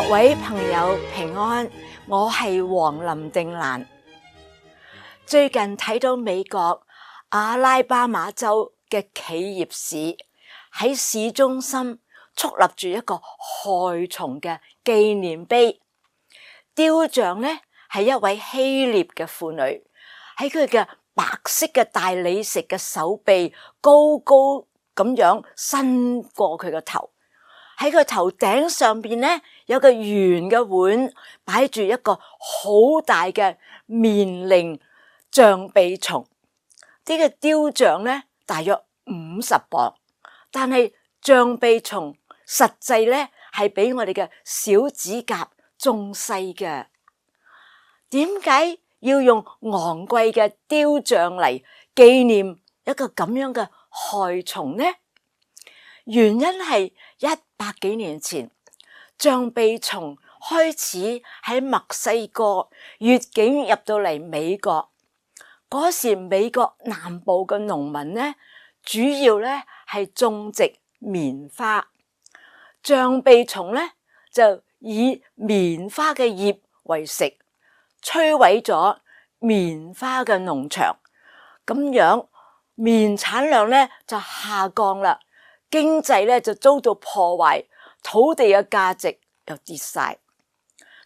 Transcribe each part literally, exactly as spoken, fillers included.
各位朋友平安，我係黃林定蘭。最近睇到美國阿拉巴馬州嘅企業市喺市中心矗立住一個害蟲嘅紀念碑，雕像呢係一位希臘嘅婦女，喺佢嘅白色嘅大理石嘅手臂高高咁樣伸過佢個頭。喺個頭頂上邊咧，有個圓嘅碗，擺住一個好大嘅棉鈴象鼻蟲。呢個雕像咧大約五十磅，但係象鼻蟲實際咧係比我哋嘅小指甲仲細嘅。點解要用昂貴嘅雕像嚟紀念一個咁樣嘅害蟲呢？原因係一百幾年前，象鼻蟲開始喺墨西哥越境入到嚟美國。嗰時美國南部嘅農民呢，主要咧係種植棉花，象鼻蟲咧就以棉花嘅葉為食，摧毀咗棉花嘅農場，咁樣棉產量咧就下降啦。經濟咧就遭到破壞，土地嘅價值又跌晒。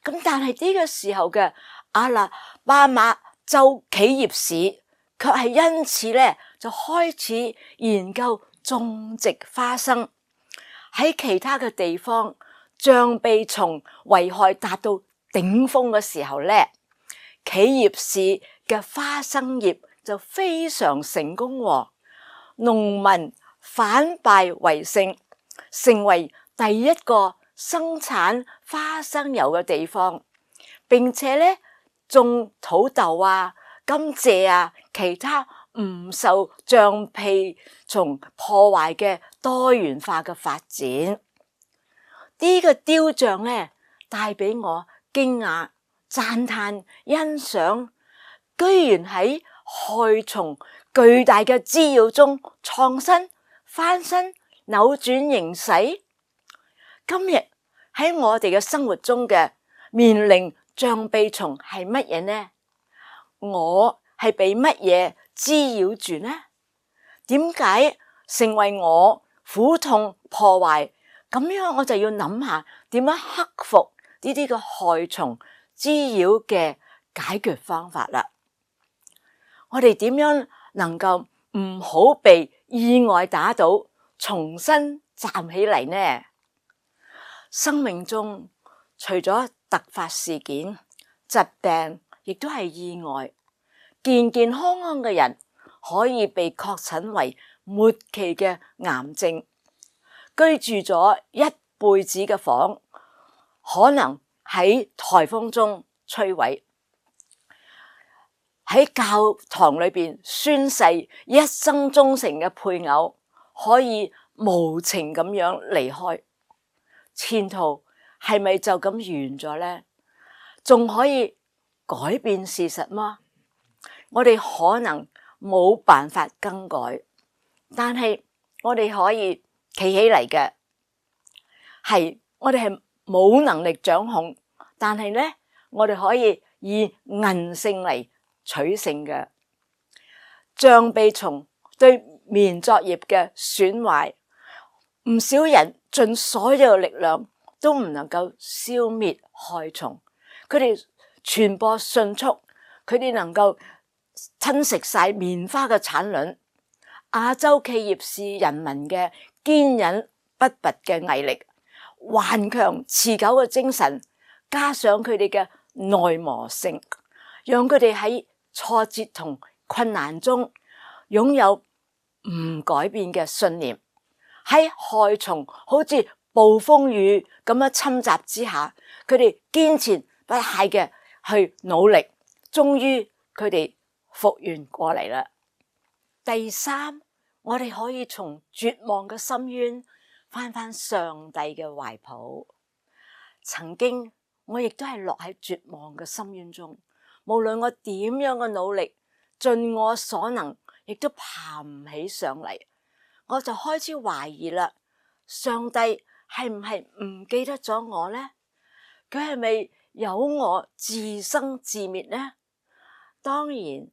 咁但係呢個時候嘅阿拉巴馬州企業市，卻係因此咧就開始研究種植花生。喺其他嘅地方，象鼻蟲危害達到頂峰嘅時候咧，企業市嘅花生葉就非常成功喎，農民反敗為勝，成為第一個生產花生油嘅地方，並且咧種土豆啊、甘蔗啊，其他唔受象鼻蟲破壞嘅多元化嘅發展。呢個雕像咧帶俾我驚訝、讚嘆、欣賞，居然喺害蟲巨大嘅滋擾中創新翻身，扭轉形勢。今日喺我哋嘅生活中嘅棉鈴象鼻蟲係乜嘢呢？我係被乜嘢滋擾住呢？點解成為我苦痛破壞？咁樣我就要諗下點樣克服呢啲嘅害蟲滋擾嘅解決方法啦。我哋點樣能夠唔好被意外打倒，重新站起嚟呢？生命中除咗突發事件、疾病，亦都係意外。健健康康嘅人可以被確診為末期嘅癌症，居住咗一輩子嘅房，可能喺颱風中摧毀。喺教堂裏邊宣誓一生忠誠嘅配偶，可以無情咁樣離開，前途係咪就咁完咗呢？仲可以改變事實嗎？我哋可能冇辦法更改，但係我哋可以企起嚟嘅，係我哋係冇能力掌控，但係呢，我哋可以以韌性嚟取勝嘅。象鼻蟲對棉作業嘅損壞，唔少人盡所有嘅力量都唔能夠消滅害蟲。佢哋傳播迅速，佢哋能夠吞食晒棉花嘅產卵。亞洲企業市人民嘅堅忍不拔嘅毅力、頑強持久嘅精神，加上佢哋嘅耐磨性，讓佢哋喺挫折同困難中擁有唔改變嘅信念。喺害蟲好似暴風雨咁樣侵襲之下，佢哋堅持不懈嘅去努力，終於佢哋復原過嚟啦。第三，我哋可以從絕望嘅深淵翻返上帝嘅懷抱。曾經我亦都係落喺絕望嘅深淵中，無論我點樣嘅努力，盡我所能，亦都爬唔起上嚟。我就開始懷疑啦，上帝係唔係唔記得咗我呢？佢係咪有我自生自滅呢？當然，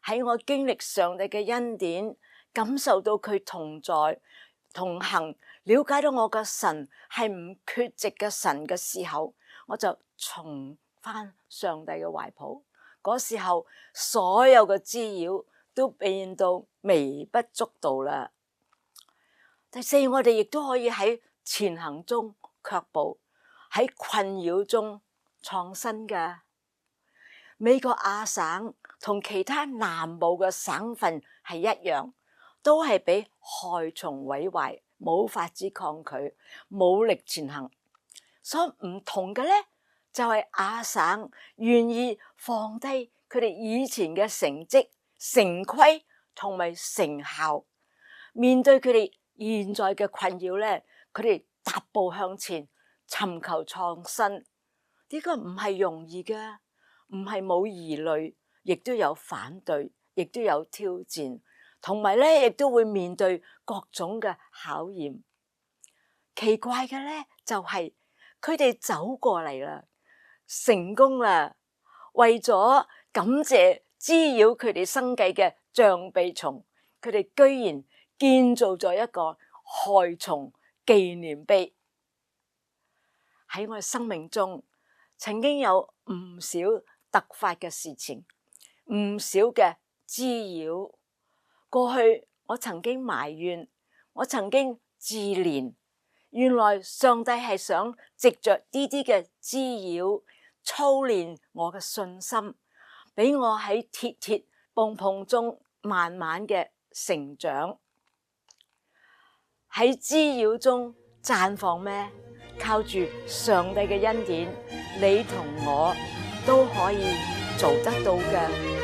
喺我經歷上帝嘅恩典，感受到佢同在同行，了解到我嘅神係唔缺席嘅神嘅時候，我就重返上帝嘅懷抱。嗰時候，所有嘅滋擾都變到微不足道啦。第四，我哋亦都可以喺前行中卻步，喺困擾中創新嘅。美國亞省同其他南部嘅省份係一樣，都係俾害蟲毀壞，冇法子抗拒，冇力前行。所以唔同嘅咧，就係亞省願意放低佢哋以前嘅成績、成規同埋成效，面對佢哋現在嘅困擾咧，佢哋踏步向前，尋求創新。呢個唔係容易嘅。唔係冇疑慮，亦都有反對，亦都有挑戰，同埋咧，亦都會面對各種嘅考驗。奇怪嘅咧，就係佢哋走過嚟啦，成功啦，為咗感謝滋擾佢哋生計嘅象鼻蟲，佢哋居然建造咗一個害蟲紀念碑。喺我嘅生命中，曾經有唔少突發嘅事情，唔少嘅滋擾。過去我曾經埋怨，我曾經自憐，原來上帝係想藉着呢啲嘅滋擾，操練我嘅信心，俾我喺跌跌碰碰中慢慢嘅成長。喺滋擾中綻放咩？靠住上帝嘅恩典，你同我都可以做得到嘅。